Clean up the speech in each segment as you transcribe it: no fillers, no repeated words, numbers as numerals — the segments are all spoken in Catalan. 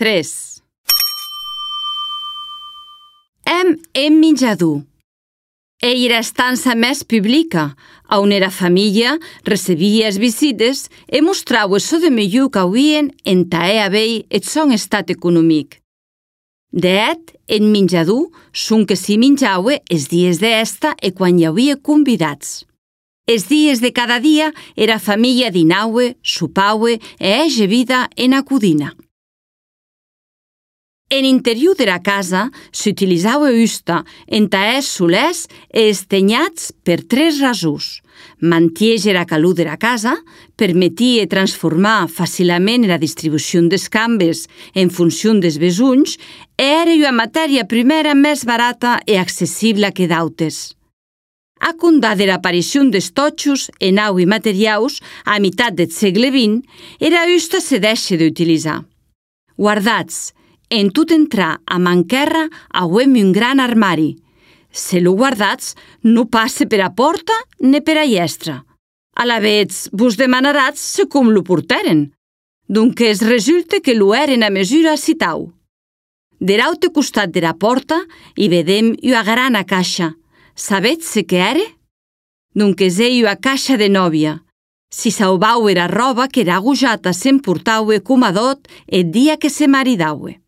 3. Em menjador. Era a estança més publica, on era família recebia as visites e mostrava so de millor que havien entà haver et son estat econòmic. D'et, en menjador, son que s'hi menjava els dies d'esta e quan hi havia convidats. Els dies de cada dia era família dinaue, sopaue e ege vida en a codina. En interior de la casa s'utilitzava usta entà els solers e estenyats per 3 rasors. Mantiege la calor de la casa, permetia transformar facilament la distribució des cambes en funció des besonhs e era una matèria primera més barata e accessible que d'autes. A condar de l'aparició des totxos en au i materiaus a meitat del segle XX, era usta se deixa d'utilitzar. Guardats, en tot entrar a manquerra auem un gran armari. Se lo guardats no passe per a porta ne per a llestra. Alavetz vos demanaràs se com lo porteren. Donques resulta que lo eren a mesura citau. De l'aute costat de la porta hi vedem una grana caixa. Sabetz se què era? Donques ei una caixa de nòvia. Si saubau era roba que era agujata s'emportaue com a dot el dia que se maridaue.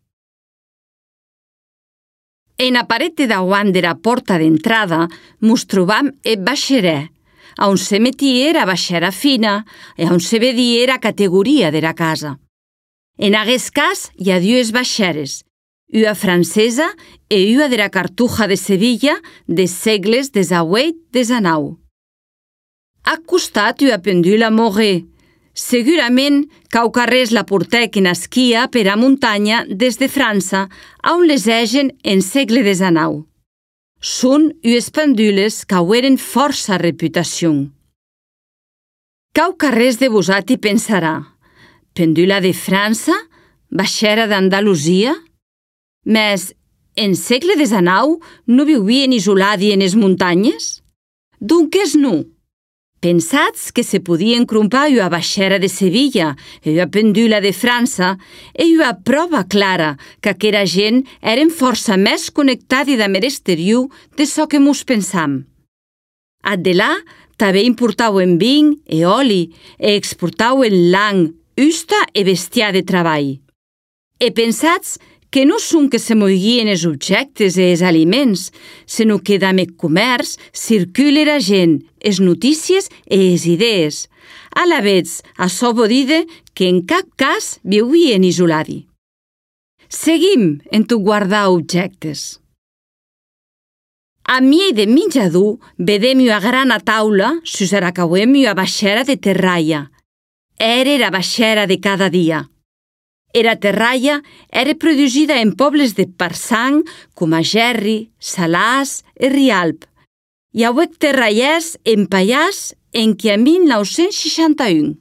En a parete dauant de la porta d'entrada mos trobam eth baixerè, on se metia era baixera fina e on se vedia era categoria de la casa. En aguest cas hi ha 2 baixeres, una francesa e una de la Cartuja de Sevilla des segles XVIII-XIX. A costat una pendula Moret. Segurament quaucarrés la portèc en esquia per a muntanya des de França, on les egen en segle XIX. Són ues pendules qu'aueren força reputació. Quaucarrés de vosati pensarà, pendula de França? Baixera d'Andalusia? Mes, en segle XIX no vivien isoladi en es muntanyes? Donques no. Pensats que se podien crompar una baixera de Sevilla e una pendula de França e una prova clara que aquera gent eren força més connectada damb l'exterior de çò que mos pensam. Adelà també importauen vin e oli e exportauen lang, usta e bestiar de treball. E pensats que no són que se moiguien els objectes e els aliments, sinó que damb eth comerç circula la gent, es notícies e es idees. Alavetz, açò vol dir que en cap cas viuien isoladi. Seguim en tot guardar objectes. A miei de menjador vedem una grana taula sus ara qu'auem una baixera de terraia. Era la baixera de cada dia. Era terraia era producida en pobles de Parsang com a Gerri, Salàs e Rialp. Hi auec terraiers en Pallars enquia 1961.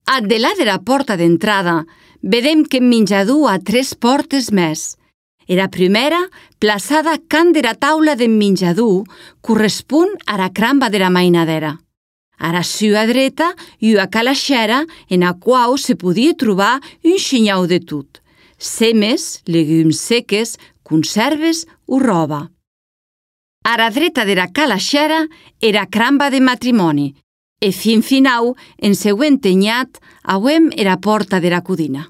Adelà de la porta d'entrada, vedem que en menjador ha 3 portes més. Era primera, plaçada can de la taula d'en menjador, correspon a la cramba de la mainadera. A la sua dreta hi ha calaixera en la qual se podia trobar un xinyau de tot. Semes, legums seques, conserves o roba. A la dreta de la calaixera era cramba de matrimoni e fin finau, en seu entenyat, auem era porta de la codina.